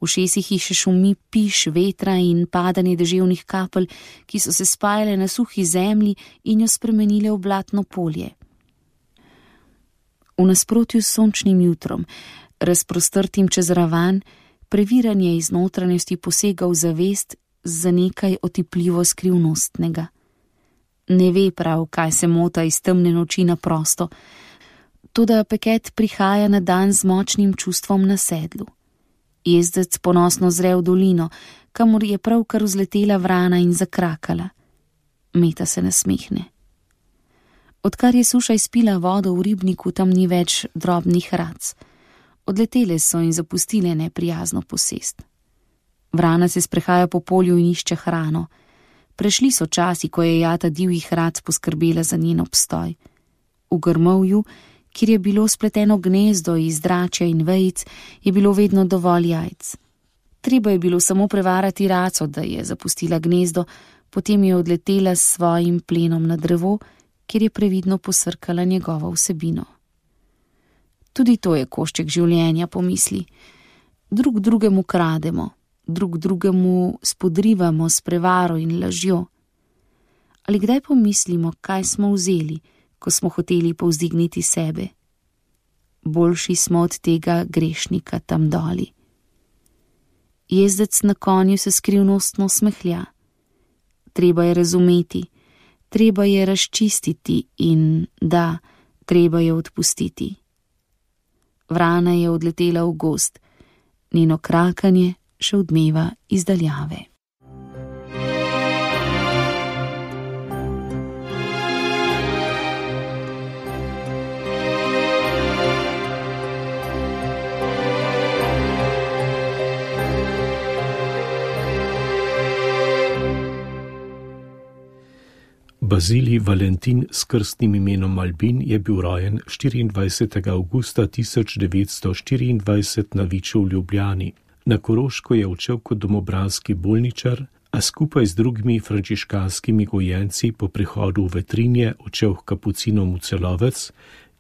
Speaker 5: V ušesih ji še šumi piš vetra in padanje deževnih kapelj, ki so se spajale na suhi zemlji in jo spremenile v blatno polje. V nasprotju s sončnim jutrom, razprostrtim čez ravan, previranje iz notranjosti posega v zavest za nekaj otipljivo skrivnostnega. Ne ve prav, kaj se mota iz temne noči na prosto, toda Peket prihaja na dan z močnim čustvom na sedlu. Jezdec ponosno zre v dolino, kamor je pravkar vzletela vrana in zakrakala. Meta se nasmehne. Odkar je suša izpila vodo v ribniku, tam ni več drobnih rac. Odletele so in zapustile neprijazno posest. Vrana se sprehaja po polju in išče hrano. Prešli so časi, ko je jata divjih rac poskrbela za njen obstoj. V grmovju, kjer je bilo spleteno gnezdo iz dračja in vejic, je bilo vedno dovolj jajc. Treba je bilo samo prevarati raco, da je zapustila gnezdo, potem je odletela s svojim plenom na drevo, kjer je previdno posrkala njegovo vsebino. Tudi to je košček življenja, pomisli. Drug drugemu krademo, drug drugemu spodrivamo s prevaro in lažjo. Ali kdaj pomislimo, kaj smo vzeli, ko smo hoteli povzdigniti sebe? Boljši smo od tega grešnika tam doli. Jezdec na konju se skrivnostno smehlja. Treba je razumeti, treba je razčistiti in da, treba je odpustiti. Vrana je odletela v gozd, njeno krakanje še odmeva iz daljave.
Speaker 3: Bazilij Valentin s krstnim imenom Albin je bil rojen 24. avgusta 1924 na Viču v Ljubljani. Na Koroško je odšel kot domobranski bolničar, a skupaj z drugimi frančiškanskimi gojenci po prihodu v Vetrinje odšel k kapucinom v Celovec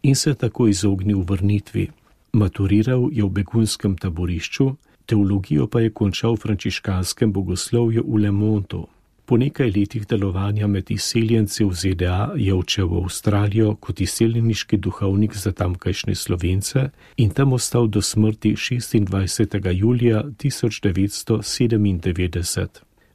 Speaker 3: in se tako izognil vrnitvi. Maturiral je v begunskem taborišču, teologijo pa je končal v frančiškanskem bogoslovju v Le Montu. Po nekaj letih delovanja med izseljenci v ZDA je odšel v Avstralijo kot izseljeniški duhovnik za tamkajšnje Slovence in tam ostal do smrti 26. julija 1997.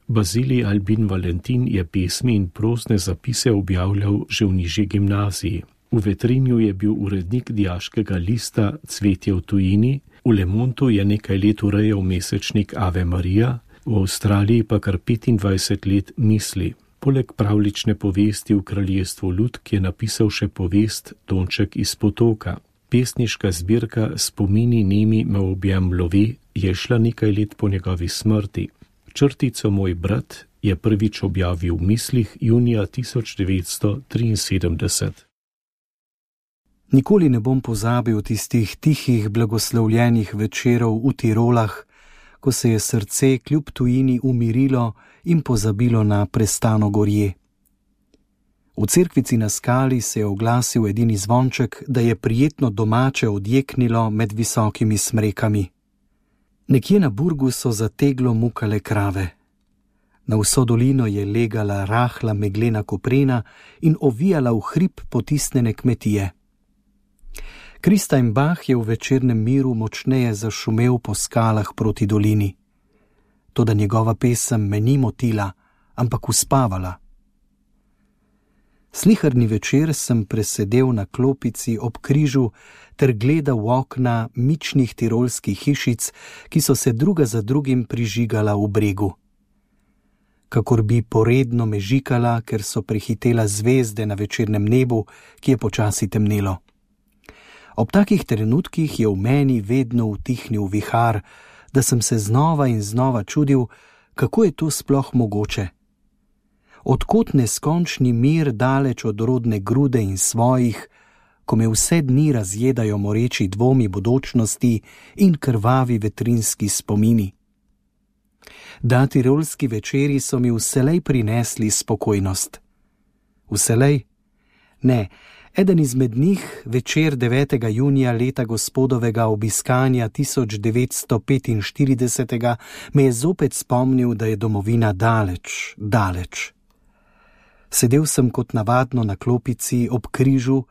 Speaker 3: Bazilij Albin Valentin je pesmi in prozne zapise objavljal že v nižji gimnaziji. V Vetrinju je bil urednik dijaškega lista Cvetje v tujini, v Le Montu je nekaj let urejal mesečnik Ave Maria, v Avstraliji pa kar 25 let Misli. Poleg pravlične povesti v kraljestvu Lutk je napisal še povest Tonček iz potoka. Pesniška zbirka Spomini nemi me objem love je šla nekaj let po njegovi smrti. Črtico Moj brat je prvič objavil v Mislih junija 1973.
Speaker 2: Nikoli ne bom pozabil tistih tihih blagoslovljenih večerov v Tirolah, ko se je srce kljub tujini umirilo in pozabilo na prestano gorje. V cerkvici na skali se je oglasil edini zvonček, da je prijetno domače odjeknilo med visokimi smrekami. Nekje na Burgu so za teglo mukale krave. Na vso dolino je legala rahla meglena koprena in ovijala v hrib potisnjene kmetije. Kristajn Bach je v večernem miru močneje zašumel po skalah proti dolini. Toda njegova pesem me ni motila, ampak uspavala. Sliharni večer sem presedel na klopici ob križu ter gledal v okna mičnih tirolskih hišic, ki so se druga za drugim prižigala v bregu. Kakor bi poredno mežikala, ker so prehitela zvezde na večernem nebu, ki je počasi temnelo. Ob takih trenutkih je v meni vedno utihnil vihar, da sem se znova in znova čudil, kako je to sploh mogoče. Odkot neskončni mir daleč od rodne grude in svojih, ko me vse dni razjedajo moreči dvomi bodočnosti in krvavi vetrinski spomini. Da tirolski večeri so mi vselej prinesli spokojnost. Vselej? Ne, eden izmed njih, večer 9. junija leta gospodovega obiskanja 1945, me je zopet spomnil, da je domovina daleč, daleč. Sedel sem kot navadno na klopici ob križu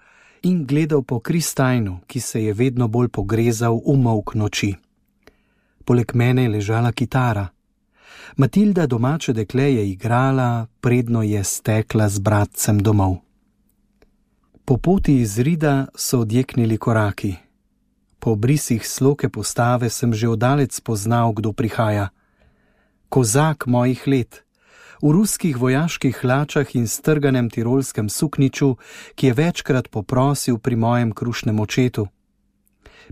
Speaker 2: in gledal po kristajnu, ki se je vedno bolj pogrezal v molk noči. Poleg mene je ležala kitara. Matilda, domače dekle, je igrala, predno je stekla z bratcem domov. Po poti iz Rida so odjeknili koraki. Po obrisih sloke postave sem že oddaleč spoznal, kdo prihaja. Kozak mojih let, v ruskih vojaških hlačah in strganem tirolskem sukniču, ki je večkrat poprosil pri mojem krušnem očetu.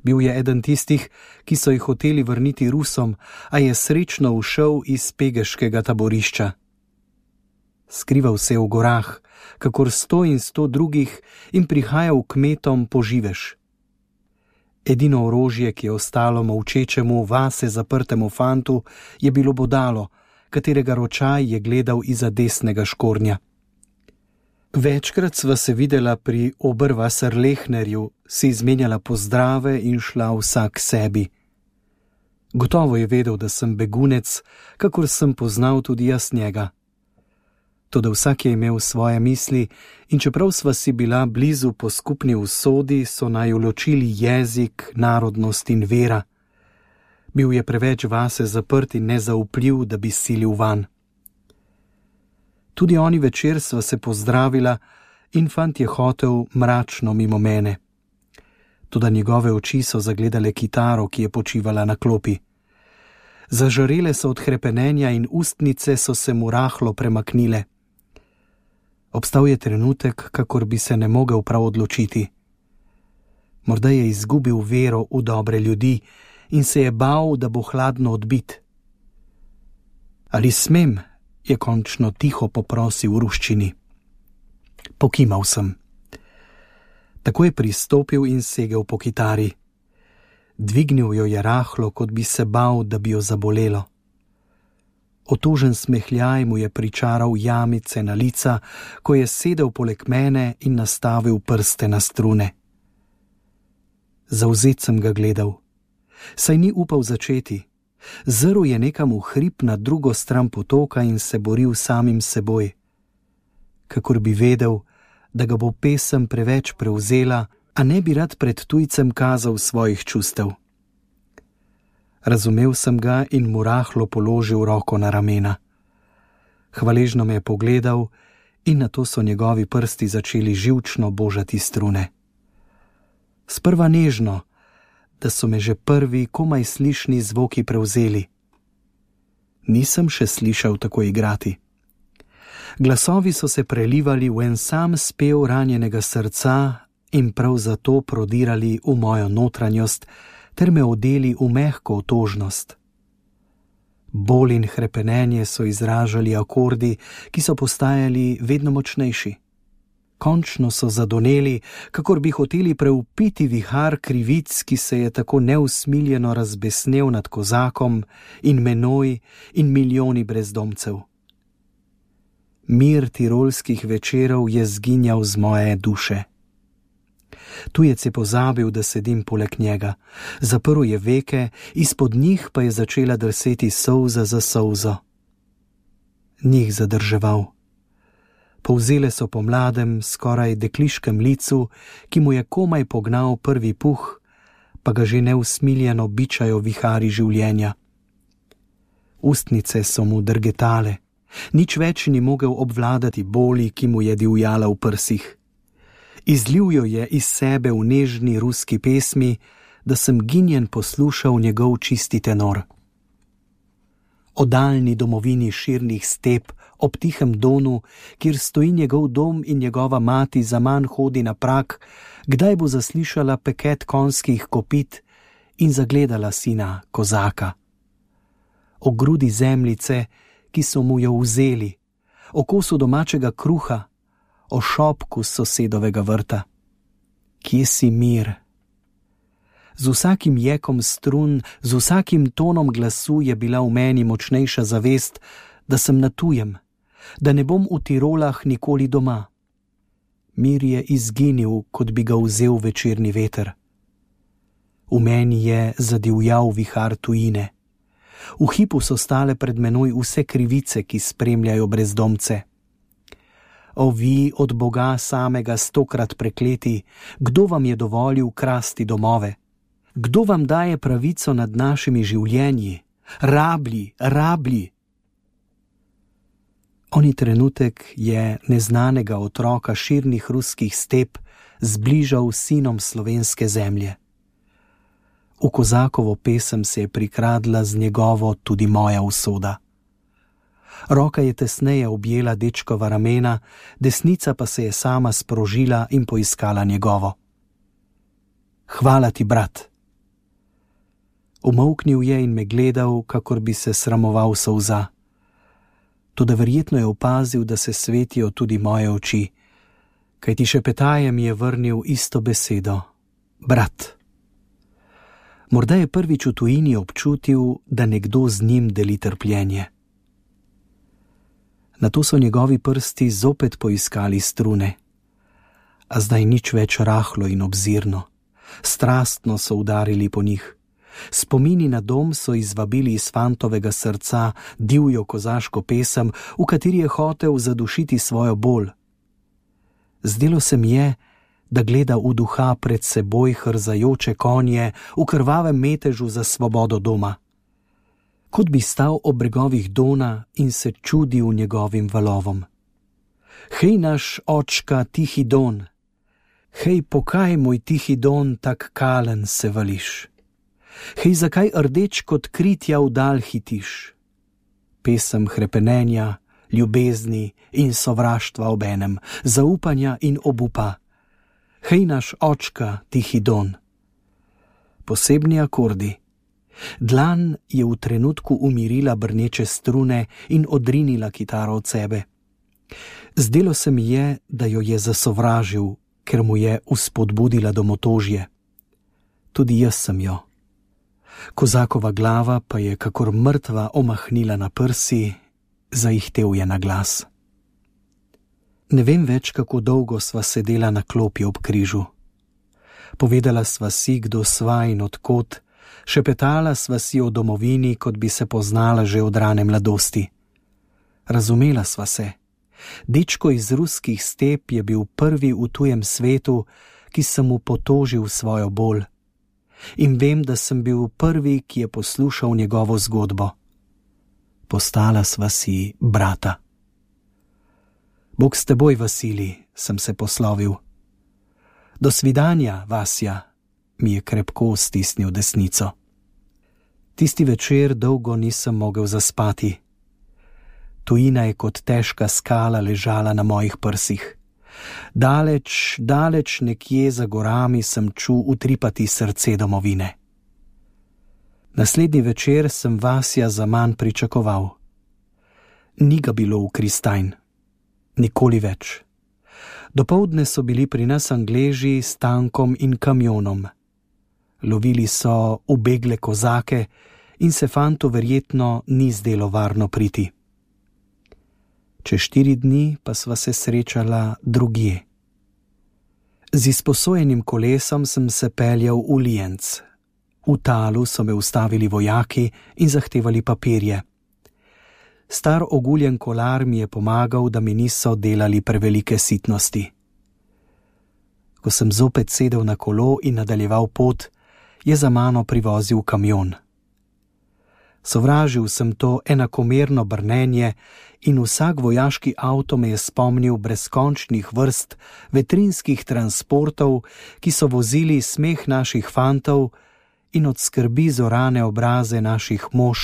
Speaker 2: Bil je eden tistih, ki so jih hoteli vrniti Rusom, a je srečno ušel iz pegeškega taborišča. Skrival se je v gorah, kakor 100 in 100 drugih, in prihajal kmetom po živež. Edino orožje, ki je ostalo molčečemu, vase zaprtemu fantu, je bilo bodalo, katerega ročaj je gledal izza desnega škornja. Večkrat sva se videla pri Oberwasserlechnerju, si izmenjala pozdrave in šla vsak sebi. Gotovo je vedel, da sem begunec, kakor sem poznal tudi jaz njega. Toda vsak je imel svoje misli in čeprav sva si bila blizu po skupni usodi, so naju ločili jezik, narodnost in vera. Bil je preveč vase zaprt in nezaupljiv, da bi silil van. Tudi oni večer sva se pozdravila in fant je hotel mračno mimo mene. Toda njegove oči so zagledale kitaro, ki je počivala na klopi. Zažarele so od hrepenenja in ustnice so se mu rahlo premaknile. Obstal je trenutek, kakor bi se ne mogel prav odločiti. Morda je izgubil vero v dobre ljudi in se je bal, da bo hladno odbit. Ali smem? Je končno tiho poprosil v ruščini. Pokimal sem. Tako je pristopil in segel po kitari. Dvignil jo je rahlo, kot bi se bal, da bi jo zabolelo. Otožen smehljaj mu je pričaral jamice na lica, ko je sedel poleg mene in nastavil prste na strune. Zavzet sem ga gledal. Saj ni upal začeti. Zrl je nekam v hrib na drugo stran potoka in se boril samim seboj. Kakor bi vedel, da ga bo pesem preveč prevzela, a ne bi rad pred tujcem kazal svojih čustev. Razumel sem ga in mu rahlo položil roko na ramena. Hvaležno me je pogledal in nato so njegovi prsti začeli živčno božati strune. Sprva nežno, da so me že prvi komaj slišni zvoki prevzeli. Nisem še slišal tako igrati. Glasovi so se prelivali v en sam spev ranjenega srca in prav zato prodirali v mojo notranjost ter me odeli v mehko otožnost. Bol in hrepenenje so izražali akordi, ki so postajali vedno močnejši. Končno so zadoneli, kakor bi hoteli preupiti vihar krivic, ki se je tako neusmiljeno razbesnel nad Kozakom in menoj in milijoni brezdomcev. Mir tirolskih večerov je zginjal z moje duše. Tujec je pozabil, da sedim poleg njega. Zaprl je veke, izpod njih pa je začela drseti solza za solzo. Njih zadrževal. Povzele so po mladem, skoraj dekliškem licu, ki mu je komaj pognal prvi puh, pa ga že neusmiljeno bičajo vihari življenja. Ustnice so mu drgetale, Nič več ni mogel obvladati boli, ki mu je divjala v prsih. Izlil jo je iz sebe v nežni ruski pesmi, da sem ginjen poslušal njegov čisti tenor. O daljni domovini širnih step, ob tihem Donu, kjer stoji njegov dom in njegova mati zaman hodi na prak, kdaj bo zaslišala peket konjskih kopit in zagledala sina kozaka. O grudi zemljice, ki so mu jo vzeli, o kosu domačega kruha, o šopku sosedovega vrta. Kje si mir? Z vsakim jekom strun, z vsakim tonom glasu je bila v meni močnejša zavest, da sem na tujem, da ne bom v Tirolah nikoli doma. Mir je izginil, kot bi ga vzel večerni veter. V meni je zadivjal vihar tujine. V hipu so stale pred menoj vse krivice, ki spremljajo brezdomce. O vi od Boga samega 100-krat prekleti, kdo vam je dovolil krasti domove? Kdo vam daje pravico nad našimi življenji? Rablji, rablji! Oni trenutek je neznanega otroka širnih ruskih step zbližal s sinom slovenske zemlje. V kozakovo pesem se je prikradla z njegovo tudi moja usoda. Roka je tesneje objela dečkova ramena, desnica pa se je sama sprožila in poiskala njegovo. Hvala ti, brat! Umolknil je in me gledal, kakor bi se sramoval solza. Toda verjetno je opazil, da se svetijo tudi moje oči, kajti šepetaje mi je vrnil isto besedo. Brat! Morda je prvič v tujini občutil, da nekdo z njim deli trpljenje. Nato so njegovi prsti zopet poiskali strune, a zdaj nič več rahlo in obzirno. Strastno so udarili po njih. Spomini na dom so izvabili iz fantovega srca divjo kozaško pesem, v kateri je hotel zadušiti svojo bol. Zdelo se mi je, da gleda v duha pred seboj hrzajoče konje v krvavem metežu za svobodo doma. Kot bi stal ob bregovih Dona in se čudil njegovim valovom. Hej, naš očka, tihi Don! Hej, pokaj, moj tihi Don, tak kalen se vališ? Hej, zakaj rdeč kot kritja vdal hitiš? Pesem hrepenenja, ljubezni in sovraštva obenem, zaupanja in obupa. Hej, naš očka, tihi Don! Posebni akordi. Dlan je v trenutku umirila brneče strune in odrinila kitaro od sebe. Zdelo se mi je, da jo je zasovražil, ker mu je vzpodbudila domotožje. Tudi jaz sem jo. Kozakova glava pa je kakor mrtva omahnila na prsi, zaihtel je na glas. Ne vem več, kako dolgo sva sedela na klopi ob križu. Povedala sva si, kdo sva in odkot, šepetala sva si o domovini, kot bi se poznala že od rane mladosti. Razumela sva se. Dečko iz ruskih step je bil prvi v tujem svetu, ki sem mu potožil svojo bol. In vem, da sem bil prvi, ki je poslušal njegovo zgodbo. Postala sva si brata. Bog s teboj, Vasilij, sem se poslovil. Do svidanja, Vasja, mi je krepko stisnil desnico. Tisti večer dolgo nisem mogel zaspati. Tujina je kot težka skala ležala na mojih prsih. Daleč, daleč nekje za gorami sem čul utripati srce domovine. Naslednji večer sem Vasja zaman pričakoval. Ni ga bilo v Kristajn. Nikoli več. Dopoldne so bili pri nas Angleži s tankom in kamionom. Lovili so ubegle kozake in se fantu verjetno ni zdelo varno priti. Čez 4 dni pa sva se srečala drugje. Z izposojenim kolesom sem se peljal v Lienc. V Talu so me ustavili vojaki in zahtevali papirje. Star oguljen kolar mi je pomagal, da mi niso delali prevelike sitnosti. Ko sem zopet sedel na kolo in nadaljeval pot, je za mano privozil kamion. Sovražil sem to enakomerno brnenje in vsak vojaški avto me je spomnil brezkončnih vrst vetrinskih transportov, ki so vozili smeh naših fantov in od skrbi zorane obraze naših mož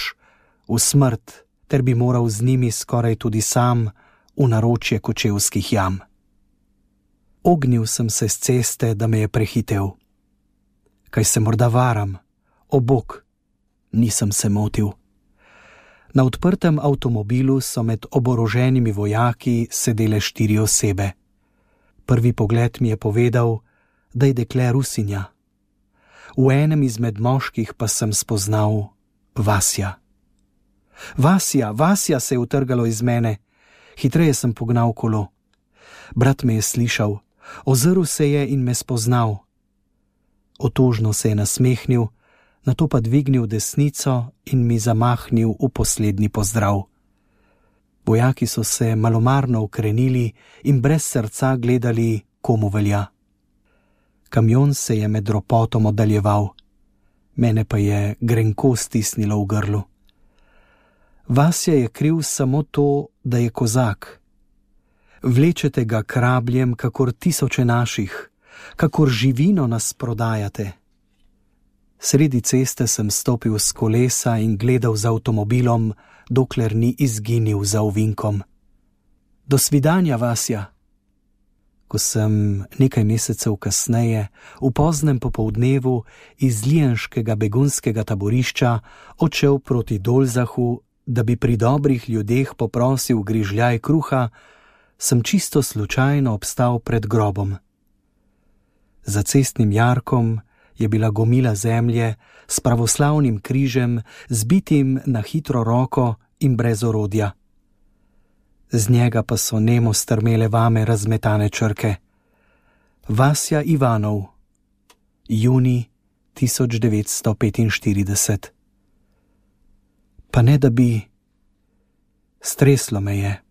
Speaker 2: v smrt, ter bi moral z njimi skoraj tudi sam v naročje kočevskih jam. Ognil sem se s ceste, da me je prehitel. Kaj se morda varam? O bog, nisem se motil. Na odprtem avtomobilu so med oboroženimi vojaki sedele 4 osebe. Prvi pogled mi je povedal, da je dekle Rusinja. V enem izmed moških pa sem spoznal Vasja. Vasja se je utrgalo iz mene. Hitreje sem pognal kolo. Brat me je slišal, ozrl se je in me spoznal. Otožno se je nasmehnil, nato pa dvignil desnico in mi zamahnil v poslednji pozdrav. Vojaki so se malomarno ukrenili in brez srca gledali, komu velja. Kamion se je med ropotom oddaljeval, mene pa je grenko stisnilo v grlu. Vasja je kriv samo to, da je kozak. Vlečete ga krabljem, kakor tisoče naših, kakor živino nas prodajate. Sredi ceste sem stopil s kolesa in gledal za avtomobilom, dokler ni izginil za ovinkom. Do svidanja, Vasja. Ko sem nekaj mesecev kasneje, v poznem popoldnevu iz lijenškega begunskega taborišča odšel proti Dolzahu, da bi pri dobrih ljudeh poprosil grižljaj kruha, sem čisto slučajno obstal pred grobom. Za cestnim jarkom je bila gomila zemlje s pravoslavnim križem, zbitim na hitro roko in brez orodja. Z njega pa so nemo strmele vame razmetane črke. Vasja Ivanov, junij 1945. Pa ne da bi... Streslo me je.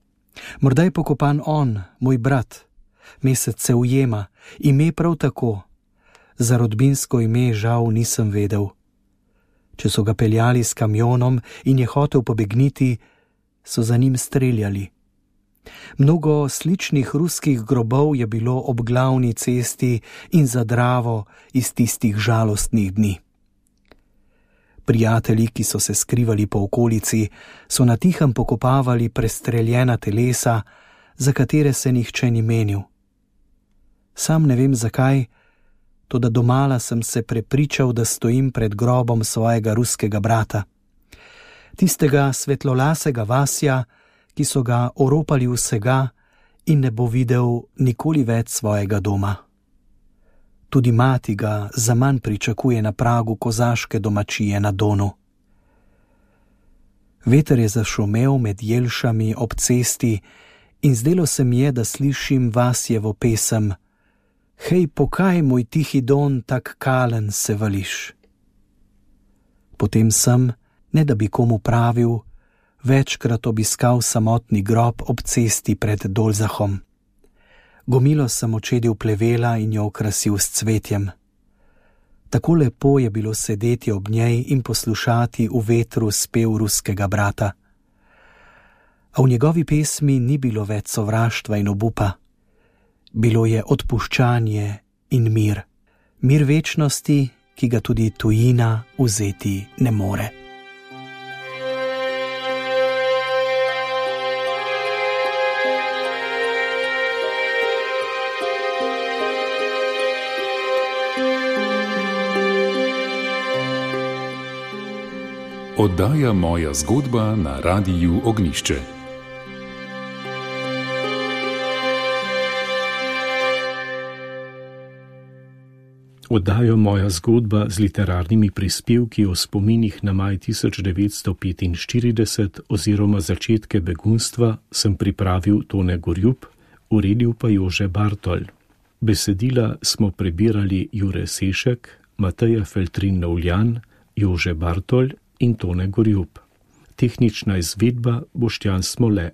Speaker 2: Morda je pokopan on, moj brat. Mesec se ujema, ime prav tako. Za rodbinsko ime žal nisem vedel. Če so ga peljali s kamionom in je hotel pobegniti, so za njim streljali. Mnogo sličnih ruskih grobov je bilo ob glavni cesti in za Dravo iz tistih žalostnih dni. Prijatelji, ki so se skrivali po okolici, so na tihem pokopavali prestreljena telesa, za katere se nihče ni menil. Sam ne vem zakaj, toda domala sem se prepričal, da stojim pred grobom svojega ruskega brata. Tistega svetlolasega Vasja, ki so ga oropali vsega in ne bo videl nikoli več svojega doma. Tudi mati ga zaman pričakuje na pragu kozaške domačije na Donu. Veter je zašumel med jelšami ob cesti in zdelo se mi je, da slišim Vasjevo pesem: Hej, pokaj, moj tihi Don, tak kalen se vališ. Potem sem, ne da bi komu pravil, večkrat obiskal samotni grob ob cesti pred Dolzahom. Gomilo sem očedil plevela in jo okrasil s cvetjem. Tako lepo je bilo sedeti ob njej in poslušati v vetru spev ruskega brata. A v njegovi pesmi ni bilo več sovraštva in obupa. Bilo je odpuščanje in mir. Mir večnosti, ki ga tudi tujina vzeti ne more.
Speaker 1: Oddaja Moja zgodba na Radiu Ognjišče.
Speaker 3: Oddajo Moja zgodba z literarnimi prispevki o spominih na maj 1945 oziroma začetke begunstva sem pripravil Tone Gorjup, uredil pa Jože Bartol. Besedila smo prebirali Jure Sešek, Mateja Feltrin-Novljan, Jože Bartol in Tone Gorjup. Tehnična izvedba Boštjan Smole.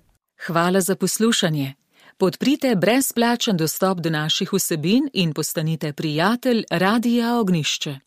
Speaker 6: Hvala za poslušanje. Podprite brezplačen dostop do naših vsebin in postanite prijatelj Radia Ognjišče.